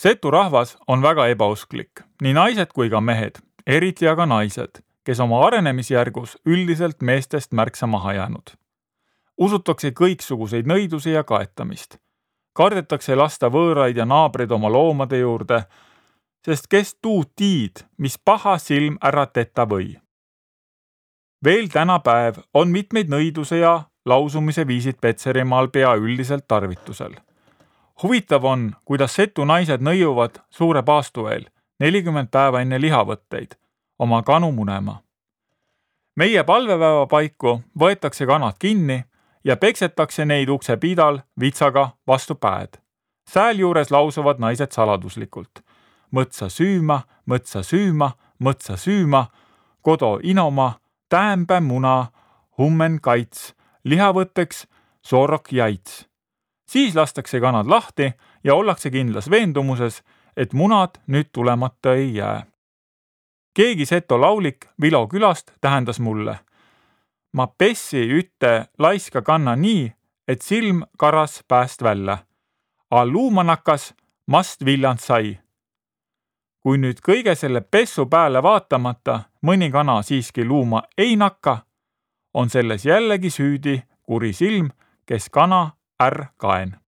Setu rahvas on väga ebausklik, nii naised kui ka mehed, eriti aga naised, kes oma arenemisjärgus üldiselt meestest märksa maha jäänud. Usutakse kõiksuguseid nõidusi ja kaetamist. Kardetakse lasta võõraid ja naabreid oma loomade juurde, sest kes tuu tiid, mis paha silm ära tetta või. Veel tänapäev on mitmeid nõiduse ja lausumise viisid Petserimaal pea üldiselt tarvitusel. Huvitav on, kuidas setu naised nõiuvad suure paastu eel 40 päeva enne lihavõtteid oma kanu munema. Meie palvepäeva paiku võetakse kanad kinni ja peksetakse neid ukse pidal vitsaga vastu päed. Sääl juures lausuvad naised saladuslikult. Mõtsa süüma, mõtsa süüma, mõtsa süüma, kodo inoma, täämpä muna, hummen kaits, lihavõtteks, soorok jaits. Siis lastakse kanad lahti ja ollakse kindlas veendumuses, et munad nüüd tulemata ei jää. Keegi seto laulik Vilo külast tähendas mulle. Ma pessi ütte laiska kanna nii, et silm karas pääst välja. A luumanakas mast viljand sai. Kui nüüd kõige selle pessu pääle vaatamata mõni kana siiski luuma ei nakka, on selles jällegi süüdi kuri silm, kes kana kaen.